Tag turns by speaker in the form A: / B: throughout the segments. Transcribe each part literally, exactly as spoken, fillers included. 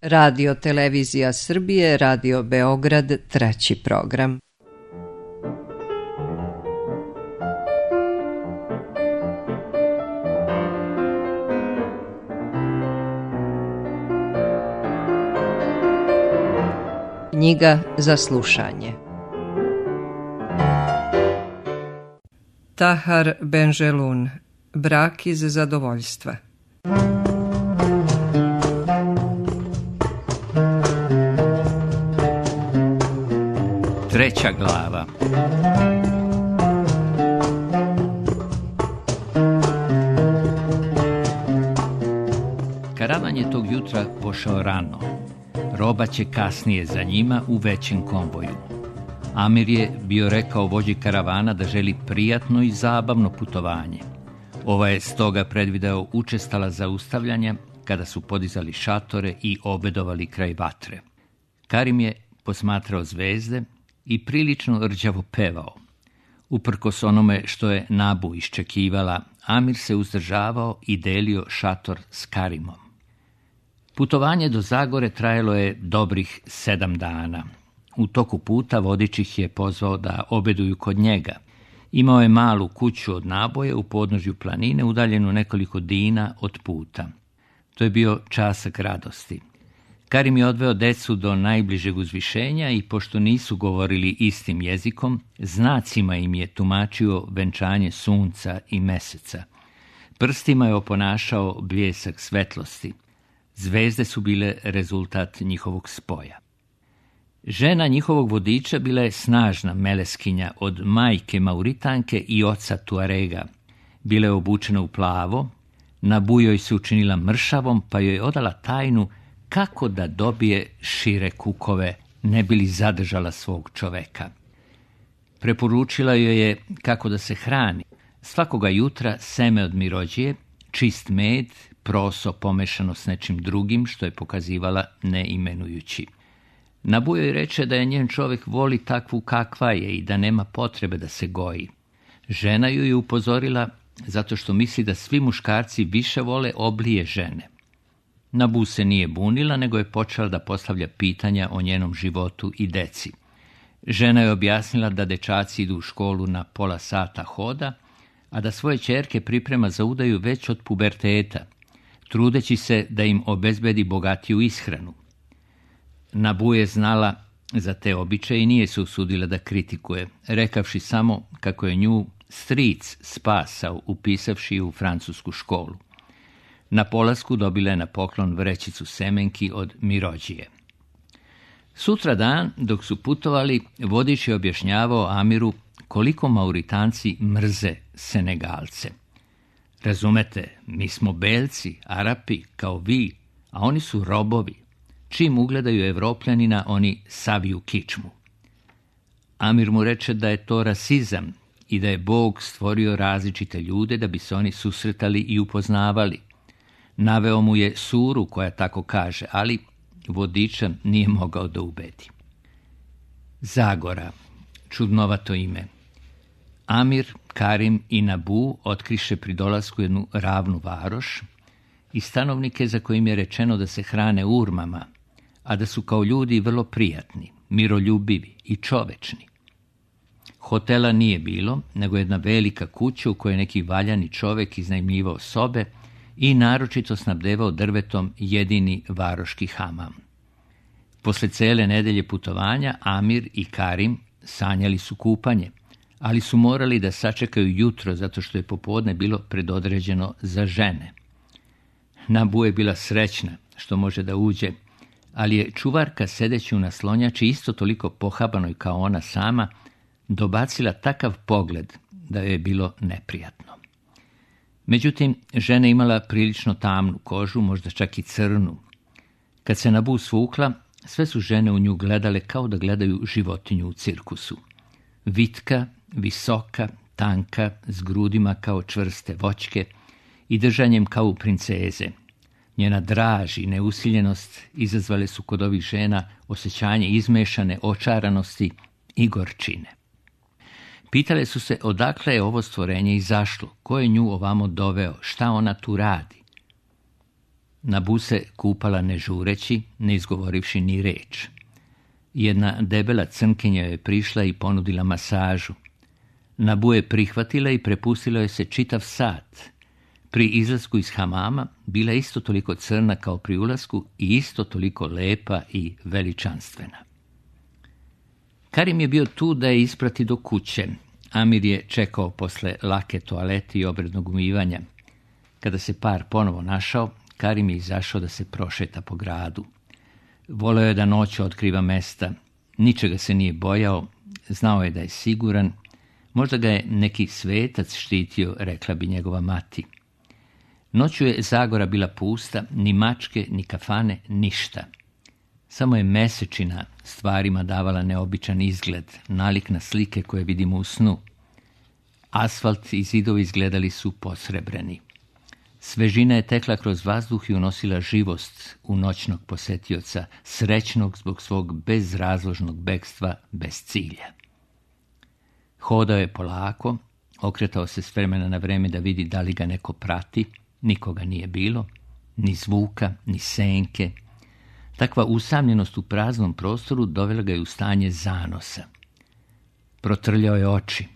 A: Radio Televizija Srbije, Radio Beograd, treći program. Knjiga za slušanje. Tahar Benjelun, Brak iz zadovoljstva.
B: Treća glava. Karavan je tog jutra pošao rano. Roba će kasnije za njima u većem konvoju. Amir je bio rekao vođi karavana da želi prijatno i zabavno putovanje. Ova je stoga predvideo učestala zaustavljanja kada su podizali šatore i obedovali kraj vatre. Karim je posmatrao zvezde i prilično rđavo pevao. Uprkos onome što je Nabu iščekivala, Amir se uzdržavao i delio šator s Karimom. Putovanje do Zagore trajalo je dobrih sedam dana. U toku puta vodič ih je pozvao da obeduju kod njega. Imao je malu kuću od naboje u podnožju planine, udaljenu nekoliko dina od puta. To je bio časak radosti. Karim je odveo decu do najbližeg uzvišenja i pošto nisu govorili istim jezikom, znacima im je tumačio venčanje sunca i meseca. Prstima je oponašao bljesak svetlosti. Zvezde su bile rezultat njihovog spoja. Žena njihovog vodiča bila je snažna meleskinja od majke Mauritanke i oca Tuarega. Bila je obučena u plavo, Nabu joj se učinila mršavom, pa joj odala tajnu kako da dobije šire kukove, ne bi li zadržala svog čoveka. Preporučila joj je kako da se hrani. Svakoga jutra seme od mirođije, čist med, proso pomešano s nečim drugim, što je pokazivala ne imenujući. Nabu joj reče da je njen čovjek voli takvu kakva je i da nema potrebe da se goji. Žena ju je upozorila zato što misli da svi muškarci više vole oblije žene. Nabu se nije bunila, nego je počela da postavlja pitanja o njenom životu i deci. Žena je objasnila da dečaci idu u školu na pola sata hoda, a da svoje ćerke priprema za udaju već od puberteta, trudeći se da im obezbedi bogatiju ishranu. Nabu je znala za te običaje i nije se usudila da kritikuje, rekavši samo kako je nju stric spasao upisavši u francusku školu. Na polasku dobila je na poklon vrećicu semenki od mirođije. Sutra dan, dok su putovali, vodič je objašnjavao Amiru koliko Mauritanci mrze Senegalce. Razumete, mi smo belci, Arapi, kao vi, a oni su robovi. Čim ugledaju Evropljanina, oni saviju kičmu. Amir mu reče da je to rasizam i da je Bog stvorio različite ljude da bi se oni susretali i upoznavali. Naveo mu je suru koja tako kaže, ali vodiča nije mogao da ubedi. Zagora, čudnovato ime. Amir, Karim i Nabu otkriše pri dolasku jednu ravnu varoš i stanovnike za kojim je rečeno da se hrane urmama, a da su kao ljudi vrlo prijatni, miroljubivi i čovečni. Hotela nije bilo, nego jedna velika kuća u kojoj neki valjani čovek iznajmljivao sobe i naročito snabdevao drvetom jedini varoški hamam. Posle cele nedelje putovanja, Amir i Karim sanjali su kupanje, ali su morali da sačekaju jutro zato što je popodne bilo predodređeno za žene. Nabu je bila srećna što može da uđe, ali je čuvarka sedeći u naslonjači isto toliko pohabanoj kao ona sama, dobacila takav pogled da joj je bilo neprijatno. Međutim, žena imala prilično tamnu kožu, možda čak i crnu. Kad se Nabu svukla, sve su žene u nju gledale kao da gledaju životinju u cirkusu. Vitka, visoka, tanka, s grudima kao čvrste voćke i držanjem kao u princeze. Njena draž i neusiljenost izazvale su kod ovih žena osjećanje izmešane očaranosti i gorčine. Pitale su se odakle je ovo stvorenje izašlo, ko je nju ovamo doveo, šta ona tu radi. Nabu se kupala ne žureći, ne izgovorivši ni reč. Jedna debela crnkinja je prišla i ponudila masažu. Nabu je prihvatila i prepustila joj se čitav sat. Pri izlasku iz hamama bila je isto toliko crna kao pri ulasku i isto toliko lepa i veličanstvena. Karim je bio tu da je isprati do kuće. Amir je čekao posle lake toalete i obrednog umivanja. Kada se par ponovo našao, Karim je izašao da se prošeta po gradu. Voleo je da noću otkriva mesta, ničega se nije bojao, znao je da je siguran, možda ga je neki svetac štitio, rekla bi njegova mati. Noću je Zagora bila pusta, ni mačke, ni kafane, ništa. Samo je mesečina stvarima davala neobičan izgled, nalik na slike koje vidimo u snu. Asfalt i zidovi izgledali su posrebreni. Svežina je tekla kroz vazduh i unosila živost u noćnog posetioca, srećnog zbog svog bezrazložnog bekstva bez cilja. Hodao je polako, okretao se s vremena na vreme da vidi da li ga neko prati, nikoga nije bilo, ni zvuka, ni senke. Takva usamljenost u praznom prostoru dovela ga je u stanje zanosa. Protrljao je oči.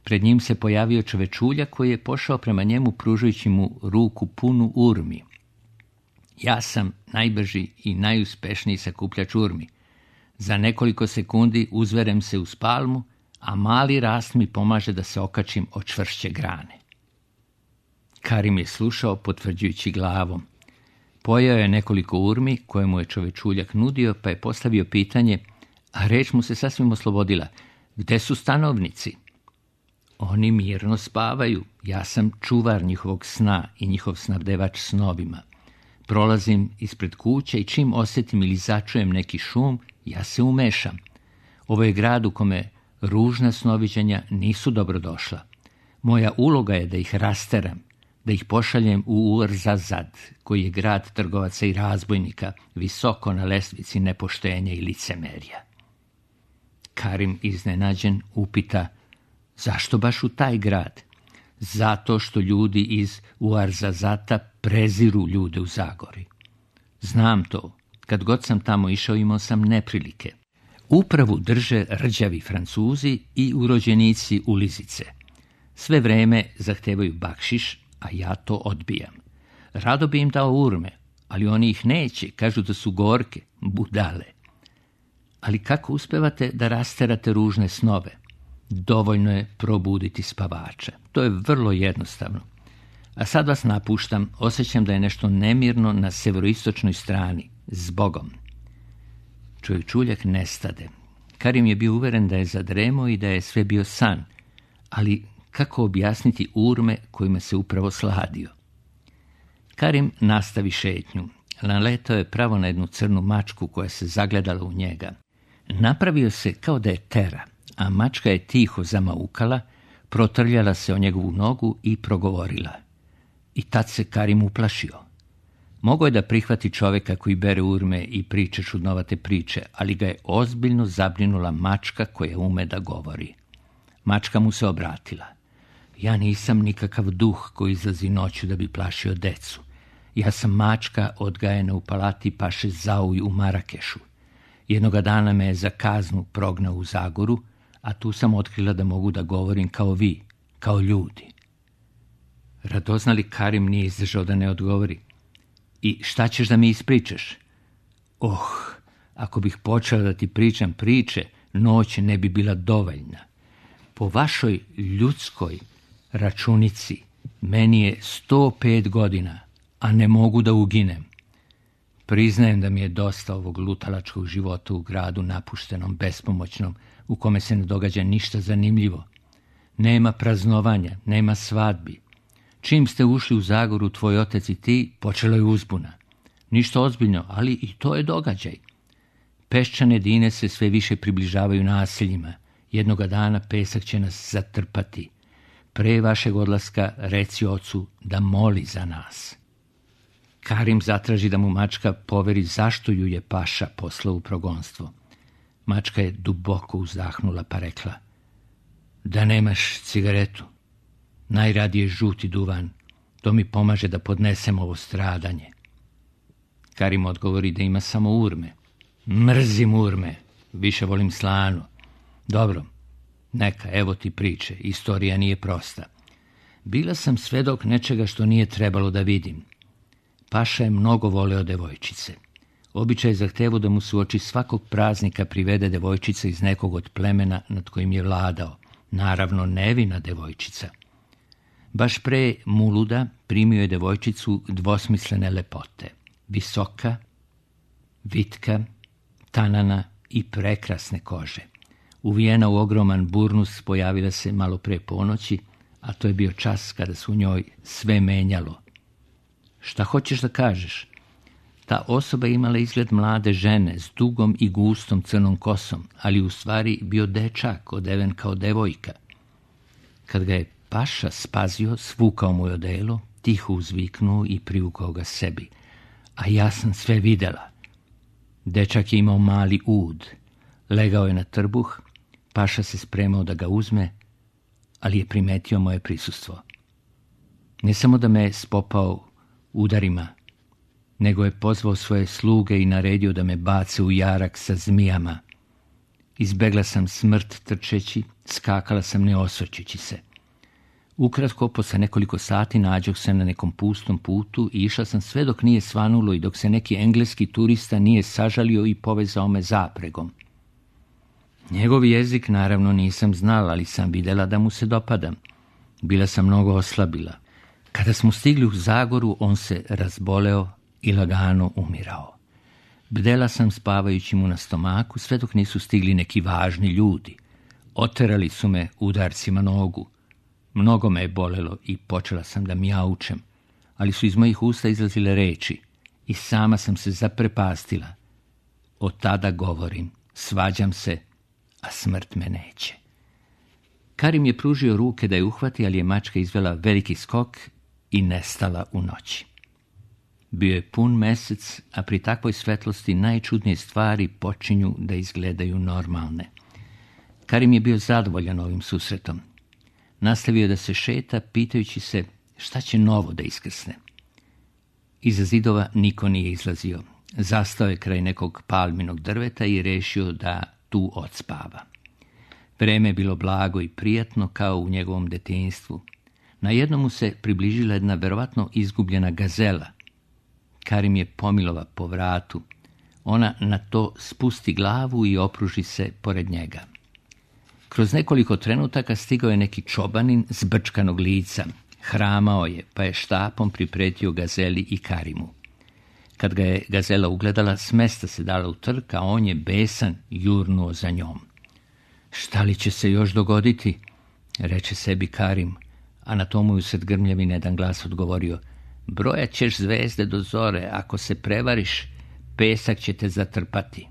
B: Pred njim se pojavio čovečulja koji je pošao prema njemu pružajući mu ruku punu urmi. Ja sam najbrži i najuspešniji sakupljač urmi. Za nekoliko sekundi uzverem se uz palmu, a mali rast mi pomaže da se okačim od čvršće grane. Karim je slušao potvrđujući glavom. Pojeo je nekoliko urmi koje mu je čovečuljak nudio, pa je postavio pitanje, a reč mu se sasvim oslobodila. Gde su stanovnici? Oni mirno spavaju. Ja sam čuvar njihovog sna i njihov snabdevač snovima. Prolazim ispred kuće i čim osjetim ili začujem neki šum, ja se umešam. Ovo je grad u kome ružna snoviđenja nisu dobrodošla. Moja uloga je da ih rasteram, da ih pošaljem u Uarzazad, koji je grad trgovaca i razbojnika, visoko na lestvici nepoštenja i licemerja. Karim, iznenađen, upita, zašto baš u taj grad? Zato što ljudi iz Uarzazata preziru ljude u Zagori. Znam to. Kad god sam tamo išao, imao sam neprilike. Upravu drže rđavi Francuzi i urođenici ulizice. Sve vreme zahtevaju bakšiš, a ja to odbijam. Rado bi im dao urme, ali oni ih neće, kažu da su gorke, budale. Ali kako uspevate da rasterate ružne snove? Dovoljno je probuditi spavača. To je vrlo jednostavno. A sad vas napuštam, osjećam da je nešto nemirno na severoistočnoj strani, zbogom. Čovječuljak nestade. Karim je bio uveren da je zadremao i da je sve bio san, ali kako objasniti urme kojima se upravo sladio? Karim nastavi šetnju. Naletao je pravo na jednu crnu mačku koja se zagledala u njega. Napravio se kao da je tera, a mačka je tiho zamaukala, protrljala se o njegovu nogu i progovorila. I tad se Karim uplašio. Mogao je da prihvati čoveka koji bere urme i priče čudnovate priče, ali ga je ozbiljno zabrinula mačka koja ume da govori. Mačka mu se obratila. Ja nisam nikakav duh koji izlazi noću da bi plašio decu. Ja sam mačka odgajena u palati paše Zauj u Marakešu. Jednoga dana me je za kaznu prognao u Zagoru, a tu sam otkrila da mogu da govorim kao vi, kao ljudi. Radoznali Karim nije izdržao da ne odgovori. I šta ćeš da mi ispričaš? Oh, ako bih počela da ti pričam priče, noć ne bi bila dovoljna. Po vašoj ljudskoj računici meni je sto pet godina, a ne mogu da uginem. Priznajem da mi je dosta ovog lutalačkog života u gradu napuštenom, bespomoćnom, u kome se ne događa ništa zanimljivo. Nema praznovanja, nema svadbi. Čim ste ušli u Zagoru, tvoj otac i ti, počela je uzbuna. Ništa ozbiljno, ali i to je događaj. Peščane dine se sve više približavaju naseljima. Jednoga dana pesak će nas zatrpati. Pre vašeg odlaska reci ocu da moli za nas. Karim zatraži da mu mačka poveri zašto ju je paša poslao u progonstvo. Mačka je duboko uzdahnula pa rekla, da nemaš cigaretu. Najradije žuti duvan, to mi pomaže da podnesem ovo stradanje. Karim odgovori da ima samo urme. Mrzim urme, više volim slanu. Dobro, neka, evo ti priče, istorija nije prosta. Bila sam svedok nečega što nije trebalo da vidim. Paša je mnogo voleo devojčice. Običaj je zahtevao da mu se uoči svakog praznika privede devojčica iz nekog od plemena nad kojim je vladao. Naravno, nevina devojčica. Baš pre Muluda primio je devojčicu dvosmislene lepote. Visoka, vitka, tanana i prekrasne kože. Uvijena u ogroman burnus pojavila se malo pre ponoći, a to je bio čas kada se u njoj sve menjalo. Šta hoćeš da kažeš? Ta osoba imala izgled mlade žene s dugom i gustom crnom kosom, ali u stvari bio dečak odeven kao devojka. Kad ga je paša spazio, svukao mu je odelo, tiho uzviknuo i privukao ga sebi. A ja sam sve videla. Dečak je imao mali ud. Legao je na trbuh, paša se spremao da ga uzme, ali je primetio moje prisustvo. Ne samo da me je spopao udarima, nego je pozvao svoje sluge i naredio da me bace u jarak sa zmijama. Izbegla sam smrt trčeći, skakala sam ne osvrćući se. Ukratko, posle nekoliko sati nađoh se na nekom pustom putu i išla sam sve dok nije svanulo i dok se neki engleski turista nije sažalio i povezao me zapregom. Njegov jezik naravno nisam znala, ali sam videla da mu se dopadam. Bila sam mnogo oslabila. Kada smo stigli u Zagoru, on se razboleo i lagano umirao. Bdela sam spavajući mu na stomaku, sve dok nisu stigli neki važni ljudi. Oterali su me udarcima nogu. Mnogo me je bolelo i počela sam da mjaučem, ali su iz mojih usta izlazile reči i sama sam se zaprepastila. Od tada govorim, svađam se, a smrt me neće. Karim je pružio ruke da je uhvati, ali je mačka izvela veliki skok i nestala u noći. Bio je pun mesec, a pri takvoj svetlosti najčudnije stvari počinju da izgledaju normalne. Karim je bio zadovoljan ovim susretom. Nastavio da se šeta, pitajući se šta će novo da iskrsne. Iza zidova niko nije izlazio. Zastao je kraj nekog palminog drveta i rešio da tu odspava. Vreme je bilo blago i prijatno kao u njegovom detinjstvu. Na jednom mu se približila jedna verovatno izgubljena gazela. Karim je pomilova po vratu. Ona na to spusti glavu i opruži se pored njega. Kroz nekoliko trenutaka stigao je neki čobanin zbrčkanog lica. Hramao je, pa je štapom pripretio gazeli i Karimu. Kad ga je gazela ugledala, s mesta se dala u trk, a on je besan jurnuo za njom. Šta li će se još dogoditi? Reče sebi Karim, a na tomu je usred grmljavine jedan glas odgovorio: brojat ćeš zvezde do zore, ako se prevariš, pesak će te zatrpati.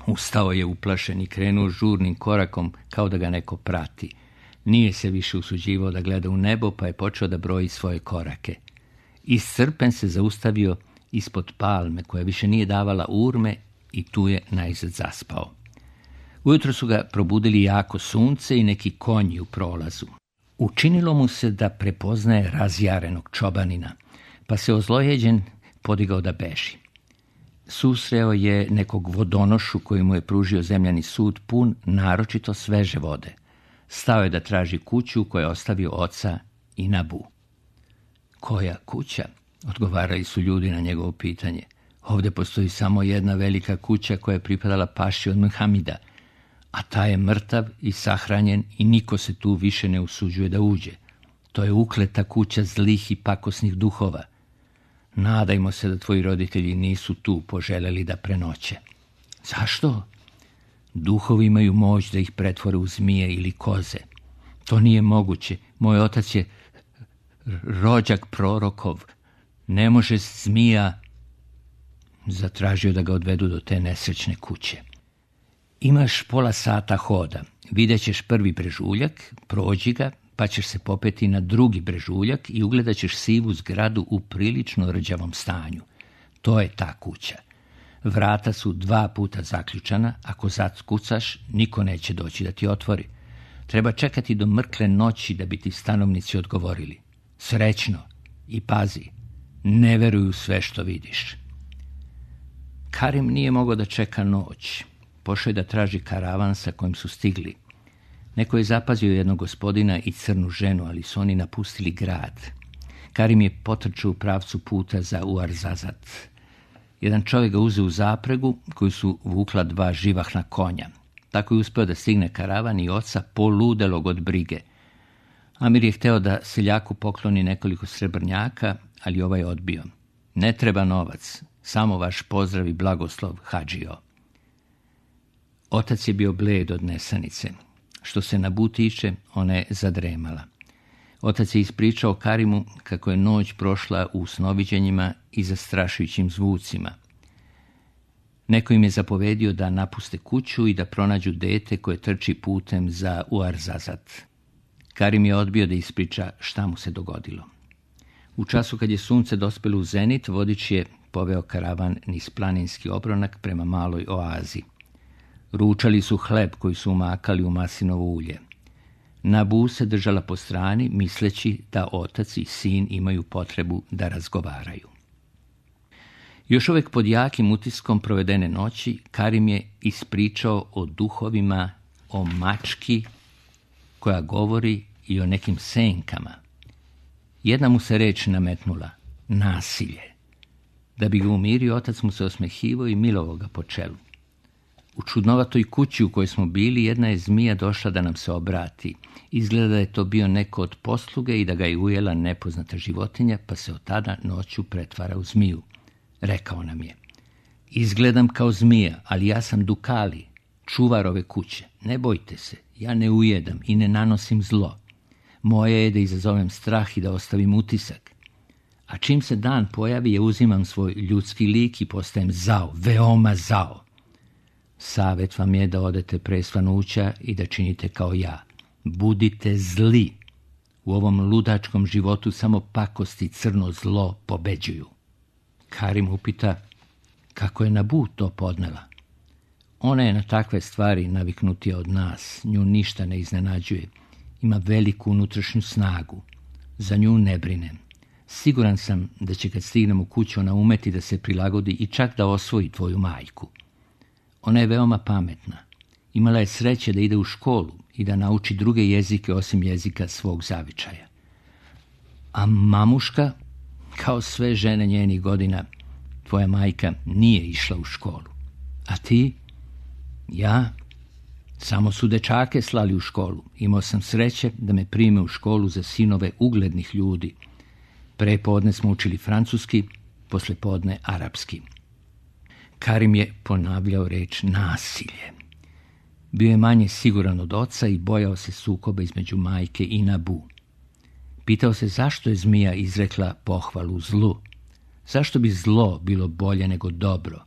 B: Ustao je uplašen i krenuo žurnim korakom kao da ga neko prati. Nije se više usuđivao da gleda u nebo, pa je počeo da broji svoje korake. Iscrpen se zaustavio ispod palme koja više nije davala urme i tu je najzad zaspao. Ujutro su ga probudili jako sunce i neki konji u prolazu. Učinilo mu se da prepoznaje razjarenog čobanina, pa se ozlojeđen podigao da beži. Susreo je nekog vodonošu koji mu je pružio zemljani sud pun naročito sveže vode. Stao je da traži kuću koju je ostavio oca i Nabu. Koja kuća? Odgovarali su ljudi na njegovo pitanje. Ovdje postoji samo jedna velika kuća koja je pripadala paši od Muhamida, a ta je mrtav i sahranjen i niko se tu više ne usuđuje da uđe. To je ukleta kuća zlih i pakosnih duhova. Nadajmo se da tvoji roditelji nisu tu poželjeli da prenoće. Zašto? Duhovi imaju moć da ih pretvore u zmije ili koze. To nije moguće. Moj otac je rođak prorokov. Ne može zmija. Zatražio da ga odvedu do te nesrećne kuće. Imaš pola sata hoda. Vidjet ćeš prvi brežuljak, prođi ga, pa ćeš se popeti na drugi brežuljak i ugledat ćeš sivu zgradu u prilično rđavom stanju. To je ta kuća. Vrata su dva puta zaključana, ako zakucaš, niko neće doći da ti otvori. Treba čekati do mrkle noći da bi ti stanovnici odgovorili. Srećno i pazi, ne veruju sve što vidiš. Karim nije mogao da čeka noć. Pošao je da traži karavan sa kojim su stigli. Neko je zapazio jednog gospodina i crnu ženu, ali su oni napustili grad. Karim je potrčao u pravcu puta za Uarzazat. Jedan čovjek ga uzeo u zapregu koju su vukla dva živahna konja. Tako je uspio da stigne karavan i oca poludelog od brige. Amir je hteo da seljaku pokloni nekoliko srebrnjaka, ali ovaj je odbio. Ne treba novac, samo vaš pozdrav i blagoslov, hadžijo. Otac je bio bled od nesanice. Što se Nabu tiče, ona je zadremala. Otac je ispričao Karimu kako je noć prošla u snoviđenjima i zastrašujućim zvucima. Neko im je zapovedio da napuste kuću i da pronađu dete koje trči putem za Uarzazat. Karim je odbio da ispriča šta mu se dogodilo. U času kad je sunce dospelo u zenit, vodič je poveo karavan niz planinski obronak prema maloj oazi. Ručali su hleb koji su umakali u maslinovo ulje. Nabu se držala po strani, misleći da otac i sin imaju potrebu da razgovaraju. Još uvijek pod jakim utiskom provedene noći, Karim je ispričao o duhovima, o mački koja govori i o nekim senkama. Jedna mu se reč nametnula, nasilje. Da bi ga umirio, otac mu se osmehivao i milovao ga po čelu. U čudnovatoj kući u kojoj smo bili, jedna je zmija došla da nam se obrati. Izgleda da je to bio neko od posluge i da ga je ujela nepoznata životinja, pa se od tada noću pretvara u zmiju. Rekao nam je, izgledam kao zmija, ali ja sam Dukali, čuvar ove kuće. Ne bojte se, ja ne ujedam i ne nanosim zlo. Moje je da izazovem strah i da ostavim utisak. A čim se dan pojavi, ja uzimam svoj ljudski lik i postajem zao, veoma zao. Savet vam je da odete pre svanuća i da činite kao ja. Budite zli. U ovom ludačkom životu samo pakost i crno zlo pobeđuju. Karim upita kako je Nabu to podnela. Ona je na takve stvari naviknutija od nas. Nju ništa ne iznenađuje. Ima veliku unutrašnju snagu. Za nju ne brinem. Siguran sam da će kad stignem u kuću ona umeti da se prilagodi i čak da osvoji tvoju majku. Ona je veoma pametna. Imala je sreće da ide u školu i da nauči druge jezike osim jezika svog zavičaja. A mamuška, kao sve žene njenih godina, tvoja majka nije išla u školu. A ti? Ja? Samo su dečake slali u školu. Imao sam sreće da me prime u školu za sinove uglednih ljudi. Pre podne smo učili francuski, posle podne arapski. Karim je ponavljao reč nasilje. Bio je manje siguran od oca i bojao se sukoba između majke i Nabu. Pitao se zašto je zmija izrekla pohvalu zlu. Zašto bi zlo bilo bolje nego dobro?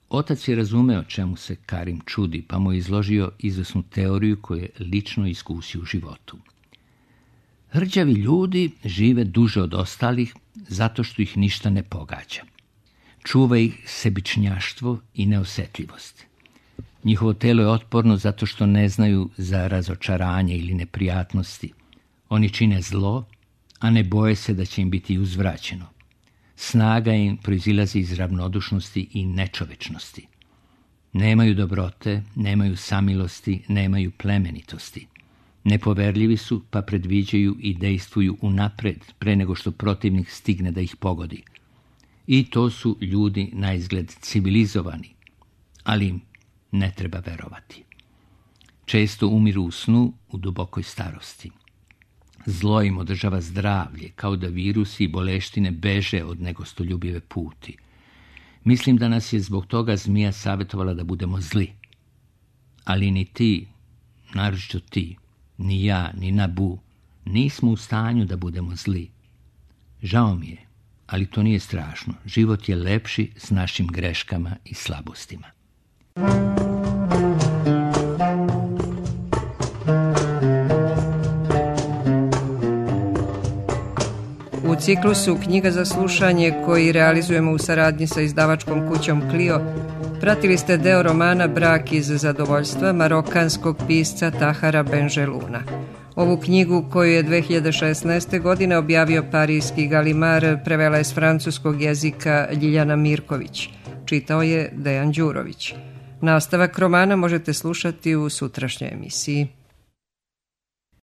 B: Otac je razumeo čemu se Karim čudi, pa mu je izložio izvesnu teoriju koju je lično iskusio u životu. Hrđavi ljudi žive duže od ostalih zato što ih ništa ne pogađa. Čuva ih sebičnjaštvo i neosjetljivost. Njihovo telo je otporno zato što ne znaju za razočaranje ili neprijatnosti. Oni čine zlo, a ne boje se da će im biti uzvraćeno. Snaga im proizilazi iz ravnodušnosti i nečovečnosti. Nemaju dobrote, nemaju samilosti, nemaju plemenitosti. Nepoverljivi su, pa predviđaju i dejstvuju unapred, pre nego što protivnik stigne da ih pogodi. I to su ljudi na izgled civilizovani, ali im ne treba verovati. Često umiru u snu, u dubokoj starosti. Zlo im održava zdravlje, kao da virusi i boleštine beže od negostoljubive puti. Mislim da nas je zbog toga zmija savjetovala da budemo zli. Ali ni ti, naročito ti, ni ja, ni Nabu, nismo u stanju da budemo zli. Žao mi je, ali to nije strašno. Život je lepši s našim greškama i slabostima.
A: U ciklusu Knjiga za slušanje, koji realizujemo u saradnji sa izdavačkom kućom Clio, pratili ste deo romana Brak iz zadovoljstva marokanskog pisca Tahara Benjeluna. Ovu knjigu, koju je dve hiljade šesnaeste. godine objavio parijski Galimar, prevela je s francuskog jezika Ljiljana Mirković. čitao je Dejan Đurović. Nastavak romana možete slušati u sutrašnjoj emisiji.